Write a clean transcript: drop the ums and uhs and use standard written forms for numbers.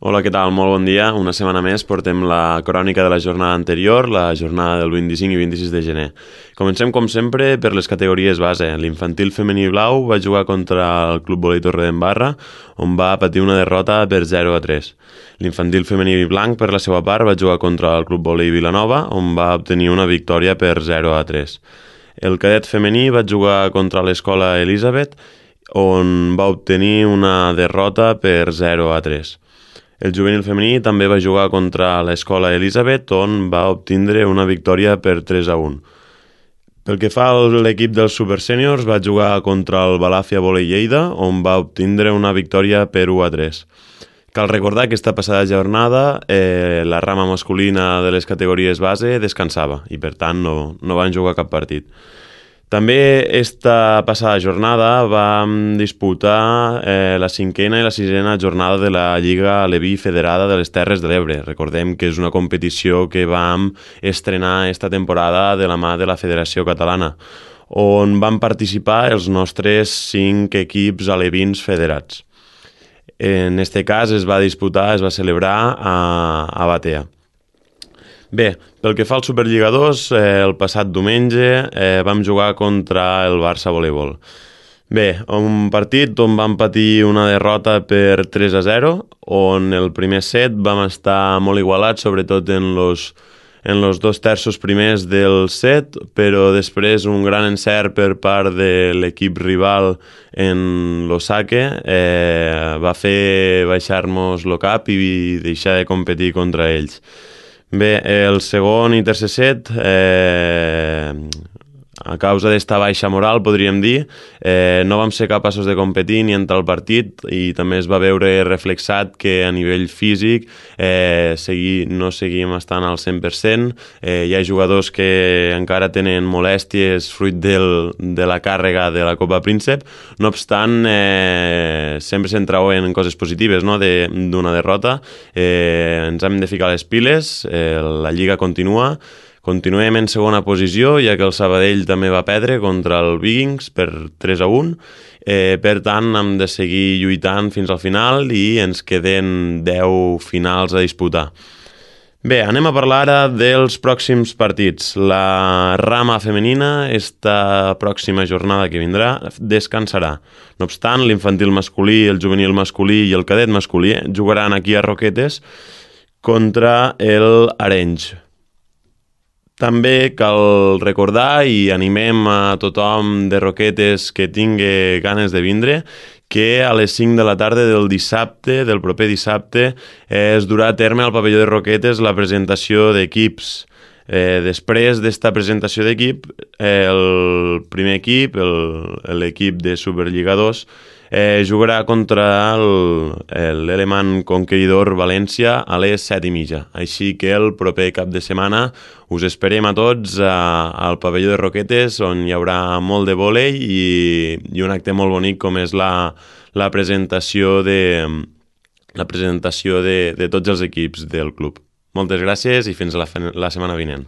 Hola, què tal? Molt bon dia. Una setmana més portem la crònica de la jornada anterior, la jornada del 25 i 26 de gener. Comencem, com sempre, per les categories base. L'infantil femení blau va jugar contra el Club Volei Torredembarra, on va patir una derrota per 0-3. L'infantil femení blanc, per la seva part, va jugar contra el Club Volei Vilanova, on va obtenir una victòria per 0-3. El cadet femení va jugar contra l'Escola Elisabet, on va obtenir una derrota per 0-3. El juvenil femení també va jugar contra l'Escola Elisabet, on va obtindre una victòria per 3-1. Pel que fa a l'equip dels supersèniors, va jugar contra el Balàfia Volei Lleida, on va obtindre una victòria per 1-3. Cal recordar que aquesta passada jornada la rama masculina de les categories base descansava i per tant no van jugar cap partit. També esta passada jornada vam disputar la cinquena i la sisena jornada de la Lliga Aleví Federada de les Terres de l'Ebre. Recordem que és una competició que vam estrenar esta temporada de la mà de la Federació Catalana, on van participar els nostres 5 equips alevins federats. En este cas es va celebrar a Batea. Bé, pel que fa al Superliga 2, el passat diumenge vam jugar contra el Barça Voleibol. Bé, un partit on vam patir una derrota per 3-0, on el primer set vam estar molt igualats, sobretot en los 2 terços primers del set, però després un gran encert per part de l'equip rival en l'Osake va fer baixar-nos el cap i deixar de competir contra ells. Bé, el segon i tercer set, a causa d'esta baixa moral, podríem dir, no vam ser capaços de competir ni entrar al partit i també es va veure reflexat que a nivell físic no seguim estant al 100%. Hi ha jugadors que encara tenen molèsties fruit de la càrrega de la Copa Príncep. No obstant, sempre se'n trauen coses positives, no?, d'una derrota. Ens hem de ficar les piles, la Lliga continua. Continuem en segona posició, ja que el Sabadell també va perdre contra el Vikings per 3-1. Per tant, hem de seguir lluitant fins al final i ens queden 10 finals a disputar. Bé, anem a parlar ara dels pròxims partits. La rama femenina, esta pròxima jornada que vindrà, descansarà. No obstant, l'infantil masculí, el juvenil masculí i el cadet masculí jugaran aquí a Roquetes contra el Arenys. També cal recordar i animem a tothom de Roquetes que tingui ganes de vindre que a les 5 de la tarda del proper dissabte, es durà a terme al pavelló de Roquetes la presentació d'equips. Després d'esta presentació d'equip, el primer equip, l'equip de Superliga 2, jugarà contra l'Elemant Conqueridor València a les 7:30. Així que el proper cap de setmana us esperem a tots al pavelló de Roquetes, on hi haurà molt de vòlei i un acte molt bonic com és la presentació de tots els equips del club. Moltes gràcies i fins la setmana vinent.